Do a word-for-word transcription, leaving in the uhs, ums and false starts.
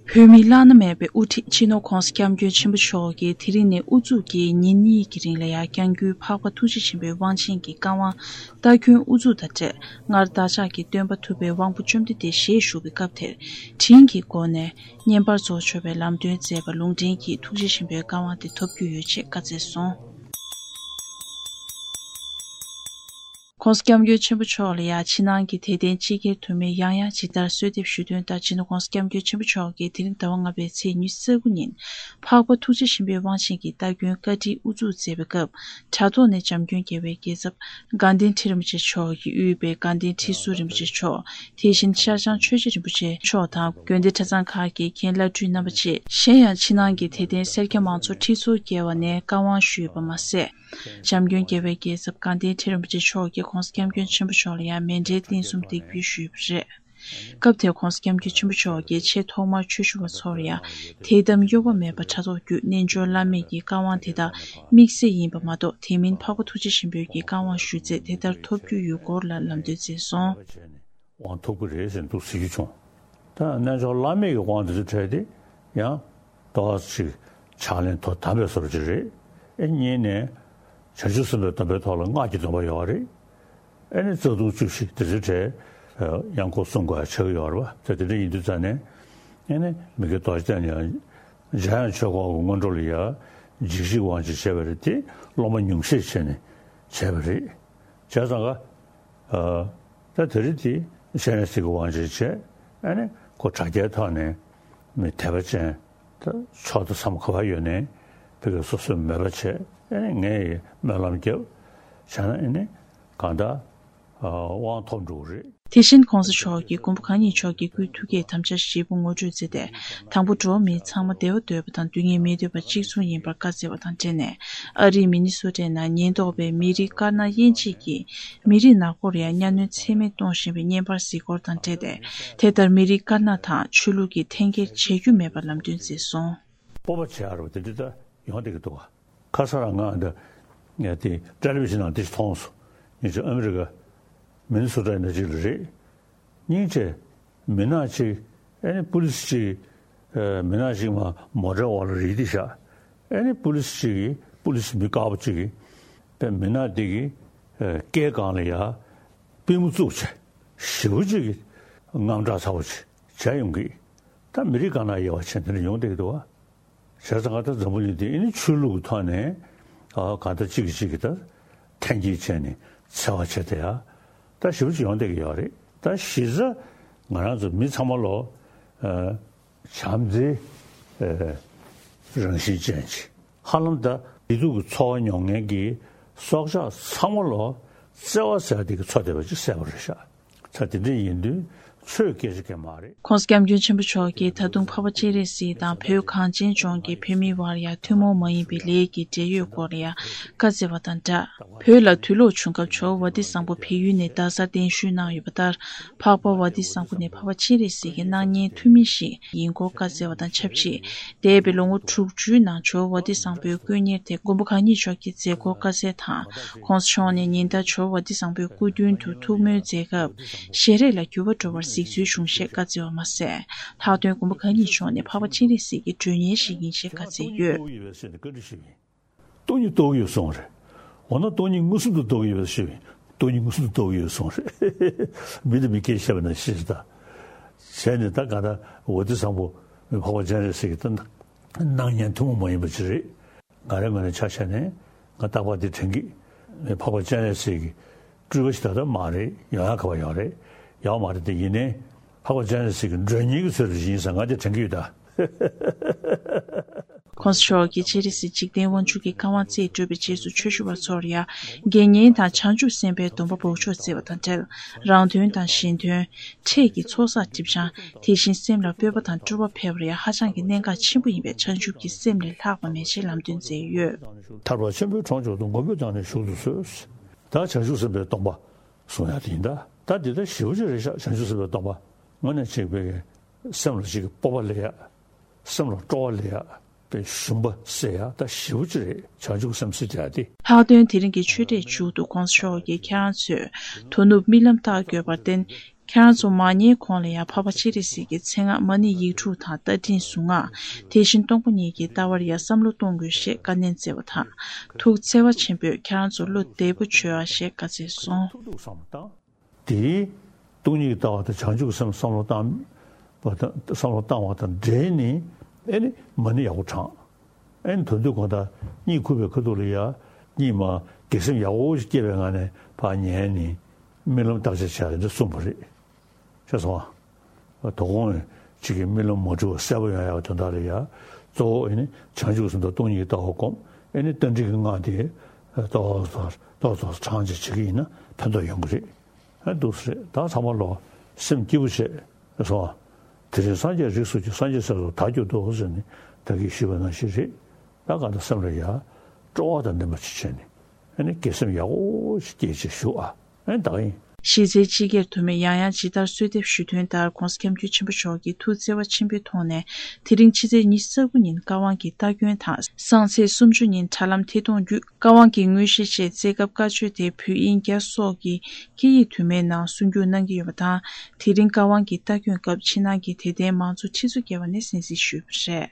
བོད་མིའི་བླ་ན་མེད་པའི་དབུ་ཁྲིད་སྤྱི་ནོར་༧གོང་ས་༧སྐྱབས་མགོན་ཆེན་པོ་མཆོག་གིས་དེ་རིང་ནས་དབུ་འཛུགས་ཀྱིས་ཉིན་གཉིས་ཀྱི་རིང་ལ་ཡང་སྐྱབས་མགོན་འཕགས་པ་ཐུགས་རྗེ་ཆེན་པོའི་དབང་ཆེན་གྱི་བཀའ་དབང་སྟ་གོན་དབུ་འཛུགས་དང་འབྲེལ། སྔར་བདག་ཅག་གི་སྟོན་པ་ཐུབ་པའི་དབང་པོ་བཅོམ་ལྡན་འདས་ཞེས་ཞུ་བའི་སྐབས་དེར་དྲིན་གྱི་སྒོ་ནས་བསྙེན་པར་རྫོགས་ཆོག་པའི་ལམ་སྟོན་མཛད་པ་ལུང་འདྲེན་གྱིས་ཐུགས་རྗེ་ཆེན་པོའི་བཀའ་དབང་དེ་ཐོབ་རྒྱུ་ཡོད་ཅེས་བཀའ་སྩལ་སོང་། ༸གོང་ས་༸སྐྱབས་མགོན་ཆེན་པོ་མཆོག་ལ་ཡང་ཕྱི་ནང་གི་དད་ལྡན་སྤྱི་སྒེར་དུ་མས་ཡང་ཡང་ཇི་ལྟར་གསོལ་འདེབས་ཞུ་དོན་ལྟར། སྤྱི་ནོར་༸གོང་ས་༸སྐྱབས་མགོན་ཆེན་པོ་མཆོག་གིས་དེ་རིང་ཟླ་བ་ལྔ་པའི་ཚེས་ཉི་ཤུ་རྩ་དགུ་ཉིན་འཕགས་པ་ཐུགས་རྗེ་ཆེན་པོའི་དབང་ཆེན་གྱི་སྟ་གོན་བཀའ་ཁྲིད་དབུ་འཛུགས་མཛད་པའི་སྐབས། དྲ་ཐོག་ནས་འཇམ་མགོན་རྒྱལ་བའི་རྒྱལ་ཚབ་དགའ་ལྡན་ཁྲི་རིན་པོ་ཆེ་མཆོག་གིས་དབུས་པའི་དགའ་ལྡན་ཁྲི་ཟུར་རིན་པོ་ཆེ་མཆོག་དེ་བཞིན་ཤར་བྱང་ཆོས་རྗེ་རིན་པོ་ཆེ་མཆོག་དང་དགོན་སྡེ་གྲྭ་ཚང་ཁག་གི་མཁན་བླ་སྤྲུལ་རྣམ་པ་བཅས། གཞན་ཡང་ཕྱི་ནང་གི་དད་ལྡན་སེར་སྐྱ་མང་ཚོགས་ཁྲི་ཚོ་བརྒལ་བ་ནས་བཀའ་དབང་ཞུས་པ་མ་ཟད། འཇམ་མགོན་རྒྱལ་བའི་རྒྱལ་ཚབ་དགའ་ལྡན་ཁྲི་རིན་པོ་ཆེ་མཆོག་གིས་༸གོང་ས་༸སྐྱབས་མགོན་ཆེན་པོ་མཆོག་ལ་ཡང་མཎྜལ་རྟེན་གསུམ་འདེགས་འབུལ་ཞུས་པ་རེད། སྐབས་དེར་༸གོང་ས་༸སྐྱབས་མགོན་ཆེན་པོ་མཆོག་གིས་ཆེས་ཐོག་མར་ཆོས་ཞུ་བ་ཚོར་ཡང་དད་དམ་གཡོ་བ་མེད་པར་དྲ་ཐོག་བརྒྱུད་རྣལ་འབྱོར་བླ་མེད་ཀྱི་བཀའ་དབང་དེ་དག་དམིགས་བསལ་ཡིན་པ་མ་གཏོགས། དེ་མིན་འཕགས་པ་ཐུགས་རྗེ་ཆེན་པོའི་གི་བཀའ་དབང་ཞུ་ཚད་དེ་ལྟར་ཐོབ་རྒྱུ་ཡོད་སྐོར་ལ་ལམ་སྟོན་མཛད་སོང་། དབང་ཐོབ་ཀྱི་རེད་ཟེར་འདུག་ཟེར་རྒྱུ་བྱུང་། ད་རྣལ་འབྱོར་བླ་མེད་ཀྱི་དབང་དེ་ཚོ་འཕྲད་དེ་ཡང་ཏོག་ཙམ་ཕྱག་ལེན་དོ་དམ་པའི་བཟོ་འདྲ་ཅིག་རེད། ཨེ་གཉིས་ནས་བྱང་ཆུབ་སེམས་དཔའི་སྡོམ་པའི་ཐོག་ལ་སྔགས་ཀྱི་སྡོམ་པ་ཡོད་རེད། ཨེ་ནས་རྩ་ལྟུང་བཅུ་བཞི་དེ་ཚོའི་གྲས་ཡང་སྐོར་གསུང་དགོས་ཡ་ཆགས་ཀྱི་ཡོད་རེད་བ། ད་དེ་འདྲ་ཡིན་དུས་ཙང་ནས་ཨེ་ནས་མི་དགེ་རྡོ་རྗེ་གདན་ནས་ཡང་འཇམ་དབྱངས་ཆོས་འཁོར་གྱི་སྔོན་འགྲོ་ལ་ཡང་འཇིགས་བྱེད་དབང་ཆེན་བྱས་པ་རེད་དེ། སློབ་མ་ཉུང་ཤས་བྱས་ནས་བྱས་པ་རེད། བྱས་ཙང་ཀ་ད་དེ་རིང་དེ་སྤྱན་རས་གཟིགས་ཀྱི་དབང་ཆེན་བྱས། ཨ་ནི་ཁོ་དྲ་རྒྱའི་ཐོག་ནས་མི་དད་པ་ཅན་ད་ཕྱོགས་དང་མཚམས་ག་པར་ཡོད་ནའི་ཕ་གི་སོ་སོའི་མོས་པ་བྱས། ཨ་ནི་ངས་སྨོན་ལམ་བརྒྱབ་བྱས་ན་ཨ་ནི་གང་ལྟར་དབང་ཐོབ་འགྲོ་གི་རེད། དེ་བཞིན་༸གོང་ས་མཆོག་གིས་མགོན་པོ་གང་ཉིད་མཆོག་གི་སྐུའི་ཐུགས་བསྐྱེད་དམ་བཅའ་བཞི་པོ་ངོ་སྤྲོད་མཛད་དེ། དང་པོ་འགྲོ་བ་མི་ཚང་མ་བདེ་བ་འདོད་པ་དང་སྡུག་བསྔལ་མི་འདོད་པ་གཅིག་མཚུངས་ཡིན་པར་བཀའ་སྩལ་བ་དང་འབྲེལ་ནས། ཨ་རིའི་མི་ནི་སོ་ཊའི་ནང་ཉེན་རྟོག་པས་མི་རིགས་དཀར་ནག་དབྱེ་འབྱེད་ཀྱིས་མི་རིགས་ནག་པོར་ཡང་གཉའ་གནོན་ཚད་མེད་གཏོང་བཞིན་པའི་བརྙན་པར་གཟིགས་སྐོར་དང་འབྲེལ་ཏེ། དེ་ལྟར་མི་རིགས་དཀར་ནག་དང་ཆོས་ལུགས་ཀྱི་འཐེན་འཁྱེར་བྱེད་རྒྱུ་མེད་པར་ལམ་སྟོན་མཛད་སོང་། སྤོབས་པ་བྱེད་ཡ་རེད་བ། དེ་འདྲ་ད་ཡོང་བསྡད་ཀྱི་འདུག་བ། ཁ་སང་རང་ང་འདི་ངས་དེ་ཊེ་ལི་བི་ཤན་ནང་འདི་ཞིག་མཐོང་སོང་། ཉིན་ཅིག་ཨ་མི་རི་ཀ་མི་ནི་སོ་ཊ་ནང་ཅིག་ལ་རེད། སྙིང་རྗེ། མི་ནག་ཅིག་ཨ་ནི་པུ་ལི་སི་ཅིག་ཨ་མི་ནག་ཅིག་མ་མོ་ཊའི་འོག་ལ་རིལ་ཏེ་བཞག་ཨ་ནི་པུ་ལི་སི་ཅིག་གིས་པུ་ལི་སི་མི་དཀར་པོ་ཅིག་གིས་པའི་མི་ནག་འདི་གི་ཨ་སྐེ་སྒང་ལ་ཡ་པུས་མོ་བཙུགས་བྱས་ཞེ་པོ་ཅིག་གི་དངངས་སྐྲག་ཚ་པོ་ཅིག་བྱས་ཡོང་གི། ད་མི་རིགས་དཀར་ནག་དབྱེ་བ་ཕྱེ་དེ་འདྲ་ཡོང་བསྡད་ཀྱི་འདུག་བ། བྱས་ཙང་ང་ད་འཛམ་བུ་གླིང་འདི་ཨ་ནི་ཆོས་ལུགས་ཀྱི་ཐོག་ནས་ཨ་གང་ལྟར་གཅིག་གིས་གཅིག་གི་ད་འཐེན་འཁྱེར་བྱས་ནས་འཚེ་བ་བྱས་ཏེ་ཡ་ད་ཞེ་པོ་ཅིག་ཡོང་བསྡད་ཀྱི་ཡོད་རེད། ད་གཞི་རྩ་ང་རང་ཚོ་མི་ཚང་མ་ལོ་ཨ་བྱམས་བརྩེའི་ཨ་རང་བཞིན་ཅན་ཅིག་ཧ་ལམ་ད་བདེ་སྡུག་གི་འཚོ་བ་མྱོང་མཁན་གྱི་སྲོག་ཆགས་ཚང་མ་ལོ་བརྩེ་བ་ཟེར་དེ་གི་འཚོ་བསྡད་པ་ཅིག་གསལ་པོ་རེད་ཤག་ད་དེ་འདྲ་ཡིན་དུས་ཆོས་སྐད་ཆ་གང་མ་རེད། ༸གོང་ས་༸སྐྱབས་མགོན་ཆེན་པོ་མཆོག་གིས་ད་དུང་འཕགས་པ་སྤྱན་རས་གཟིགས་དང་བོད་གངས་ཅན་ལྗོངས་ཀྱི་བོད་མིའི་བར་ཡང་ཐུན་མོང་མ་ཡིན་པའི་ལས་ཀྱི་འབྲེལ་ཡོད་སྐོར་ལ་ཡང་བཀའ་སྩལ་བ་དང་སྦྲགས། བོད་ལ་དུས་ལོག་བྱུང་སྐབས་ཇོ་བོ་ཝ་ཏི་བཟང་པོ་བལ་ཡུལ་ནས་རྡ་སར་གདན་ཞུས་གནང་ཡོད་པ་ལྟར། འཕགས་པ་ཝ་ཏི་བཟང་པོ་ནི་འཕགས་པ་སྤྱན་རས་གཟིགས་ཀྱི་སྣང་བརྙན་ཐུན་མིན་ཞིག་ཡིན་སྐོར་བཀའ་སྩལ་བ་དང་ཆབས་ཅིག་འདས་པའི་ལོ་ངོ་དྲུག་ཅུའི་ནང་ཇོ་བོ་ཝ་ཏི་བཟང་པོའི་དཀོན་གཉེར་དེ་མགོན་པོ་གང་ཉིད་མཆོག་གིས་མཛད་སྒོར་བཀའ་སྩལ་དང་། ༸གོང་ས་མཆོག་ནས་ཉིན་ལྟར་ཇོ་བོ་ཝ་ཏི་བཟང་པོའི་སྐུ་མདུན་དུ་ཐུགས་སྨོན་མཛད་སྐབས། ཞལ་རས་ལ་འགྱུར་བ་འགྲོ་བར་གཟིགས་ཚུལ་བྱུང་ཞེས་བཀའ་སྩལ་བ་མ་ཟད། ལྷག་དོན་མགོན་པོ་གང་ཉིད་མཆོག་ནི་འཕགས་པ་སྤྱན་རས་གཟིགས་ཀྱི་མགྲོན་གཉེར་ཞིག་ཡིན་ཞེས་བཀའ་སྩལ་ཡོད། སྟོང་ཉིད་རྟོགས་ཀྱི་ཡོད་གསུངས་རེད། འོ་ན་སྟོང་ཉིད་མངོན་སུམ་དུ་རྟོགས་ཀྱི་ཡོད་ཞུས། སྟོང་ཉིད་མངོན་སུམ་དུ་རྟོགས་ཀྱི་ཡོད་གསུངས་རེད། མི་དང་མི་སྐད་བཤད་པ་ན་ཤེས་ད། བྱས་ནས་ད་ག་ད་ཝ་ཏི་བཟང་པོ་འཕགས་པ་སྤྱན་རས་གཟིགས་ཀྱི་ད་སྣང་བརྙན་ཐུན་མོང་མ་ཡིན་པ་ཅིག་རེད། ང་རའི་ངོས་ནས་ཆ་བཞག་ནས་ང་རྟག་པར་འདི་དྲན་གི། འཕགས་པ་སྤྱན་རས་གཟིགས་ཀྱི་སྤྲུལ་པ་ཞིག་ད་ལྟ་མ་རེད། ཡོང་ཡ་ག་པར་ཡོད་རེད། ཡོད་མ་རེད་དེ། ཡིན་ནའི་འཕགས་པ་སྤྱན་རས་གཟིགས་ཀྱི་མགྲོན་གཉེར་གྱི་ཚུལ་དུ་ཡིན་ཙང་ང་འདི་དྲན་གི་ཡོད་ད། ༸གོང་ས་མཆོག་གིས་སྤྱན་རས་གཟིགས་འཇིག་རྟེན་དབང་ཕྱུག་གི་བཀའ་དབང་རྩིས་སྤྲོད་པའི་རྗེས་སུ་ཆོས་ཞུ་བ་ཚོར་ཡང་དགེ་བསྙེན་དང་བྱང་ཆུབ་སེམས་དཔའི་སྡོམ་པ་འབོགས་ཆོག་བརྩི་བ་དང་འབྲེལ། རང་དོན་དང་གཞན་དོན། འཕྲལ་གྱི་ཚོགས་བསགས་སྒྲིབ་སྦྱང་། དེ་བཞིན་སེམས་ལ་སྤོབས་པ་དང་སྤྲོ་བ་འཕེལ་བར་ཡང་ཧ་ཅང་གི་གནད་འགག་ཆེན་པོ་ཡིན་པས་བྱང་ཆུབ་ཀྱི་སེམས་ལས་ལྷག་པ་མེད་ཅེས་ལམ་སྟོན་མཛད་ཡོད། ཐར་པ་ཆེན་པོའི་གྲོང་མཆོག་ཏུ། མགོན་པོས་བདག་ནི་བཞུགས་སུ་གསོལ། ད་བྱང་ཆུབ་སེམས་དཔའི་སྡོམ་པ་གསུང་ཡ་དེ་ཡིན་ད། ད་འདི་ལྟ་ཞེ་པོ་ཅིག་རེད་ཤག་བྱང་ཆུབ་སེམས་དཔའི་སྡོམ་པ་དངོས་གནས་གཅིག་པའི་སེམས་ལ་གཅིག་གི་སྤོབས་པ་སླེབས་ཡ། སེམས་ལ་སྤྲོ་བ་སླེབས་ཡ། པའི་ཞུམ་པ་སེལ་ཡ་ད་ཞེ་པོ་ཅིག་རེད། བྱང་ཆུབ་སེམས་སེལ་ཡ་དེ། ལྷག་དོན་དེ་རིང་གི་ཆོས་འབྲེལ་མཇུག་ཏུ་༸གོང་ས་མཆོག་གིས་ཁྱེད་རང་ཚོས་དོ་ནུབ་རྨི་ལམ་ལྟ་དགོས་པར་བརྟེན། ཁྱེད་རང་ཚོ་མ་ཉལ་གོང་ལ་ཡང་འཕགས་པ་སྤྱན་རས་གཟིགས་ཀྱི་མཚན་སྔགས་མ་ཎི་ཡིག་དྲུག་དང་རྟ་མགྲིན་གཟུངས་སྔགས། དེ་བཞིན་སྟོང་པ་ཉིད་ཀྱི་ལྟ་བར་ཡང་བསམ་བློ་གཏོང་དགོས་ཞེས་བཀའ་ནན་སྩལ་བ་དང་། ཐུགས་བརྩེ་བ་ཆེན་པོས་ཁྱེད་རང་ཚོ་བློ་བདེ་པོ་བྱོས་ཨ་ཞེས་བཀའ་སྩལ་སོང་། ཐུབ་ཐུབ་བསམ་བློ་བཏང་། དེའི་སྟོང་ཉིད་ཀྱི་ལྟ་བ་དང་བྱང་ཆུབ་ཀྱི་སེམས་བསམ་བློ་བཏང་བ་དང་བསམ་བློ་བཏང་བ་དང་འབྲེལ་ནས་ཨེ་ནི་མ་ཎི་ཡག་པོ་བགྲང་། ཨེ་ནི་དོན་དུ་གང་ལྟར་གཉིད་ཁུག་པའི་ཁ་ཐུག་ལ་ཡ་གཉིད་མ་གེགས་སེམས་ཡག་པོ་ཞིག་སྐྱེས་པའི་ངང་ནས་ཕར་ཉལ་ནས་རྨི་ལམ་བརྟག་དཔྱད་བྱ་ཡ་འདི་གསུངས་པ་རེད། ཤེས་སོང་ཨ། དོ་དགོང་གཅིག་གི་རྨི་ལམ་མ་འཁྲུལ་བ་གསལ་པོ་ཡོང་ཡག་དོན་དག་ལ་ཡ། གཙོ་བོ་ཨེ་ནི་བྱང་ཆུབ་སེམས་དང་སྟོང་ཉིད་ཀྱི་ལྟ་བ་སྒོམ། ཨེ་ནི་རྟ་མགྲིན་གྱི་སྔགས་དེ་ཏོག་ཙམ་ཏོག་ཙམ་བགྲང་བྱ་བྱེད་ཀྱི་ཡིན་ན་ཕན་ཐོགས་ཡོང་གི་རེད། ཨ་འདུག་སེ་རེད། ད་ཚང་མ་ལོ་སེམས་སྐྱིད་པོ་བྱེད་སོང་ཨ། དེ་རིང་སངས་རྒྱས་རིགས་སུ་སྐྱེས། སངས་རྒྱས་སྲས་སུ་བདག་གྱུར་ཏོ་ཟེར་ནས་ད་གིན་ཞུས་པ་ནང་བཞིན་རེད། ད་གང་ལྟར་སེམས་ལ་ཡ་སྤྲོ་བ་དང་ལྡན་པ་ཅིག་བྱས་ནས་ཨེ་ནི་གེགས་སེམས་ཡག་པོ་ཞིག་སྐྱེས་ཅིག་བཞུགས་ཨ། ཨེ་ནི་ད་གིན། གཞི་རྩའི་སྤྱི་སྒེར་དུ་མས་ཡང་ཡང་ཇི་ལྟར་གསོལ་འདེབས་ཞུ་དོན་ལྟར་༧གོང་ས་༧སྐྱབས་མགོན་ཆེན་པོ་མཆོག་གིས་ཐུགས་བརྩེ་བ་ཆེན་པོའི་ཐོག་ནས་དེ་རིང་ཕྱི་ཚེས་ཉི་ཤུ་རྩ་དགུ་ཉིན་བཀའ་དབང་གི་རྟ་བསྐྱོན་དང་སང་ཚེས་སུམ་ཅུ་ཉིན་དྲ་ལམ་ཐད་གཏོང་བརྒྱུད་བཀའ་དབང་གི་དངོས་གཞི་བཅས་བསྩལ་སྐབས་བཀའ་ཆོས་དེ་བོད་དབྱིན་རྒྱ་སོགས་ཀྱི་སྐད་ཡིག་དུ་མའི་ནང་གསུང་བསྒྱུར་གནང་གི་ཡོད་པ་དང་། དེ་རིང་བཀའ་དབང་གི་རྟ་བསྐྱོན་སྐབས་ཕྱི་ནང་གི་དད་ལྡན་མང་ཚོགས་ཁྲི་ཚོ་བརྒལ་བ་ནས་གསན་གཟིགས་ཞུས་པ་རེད།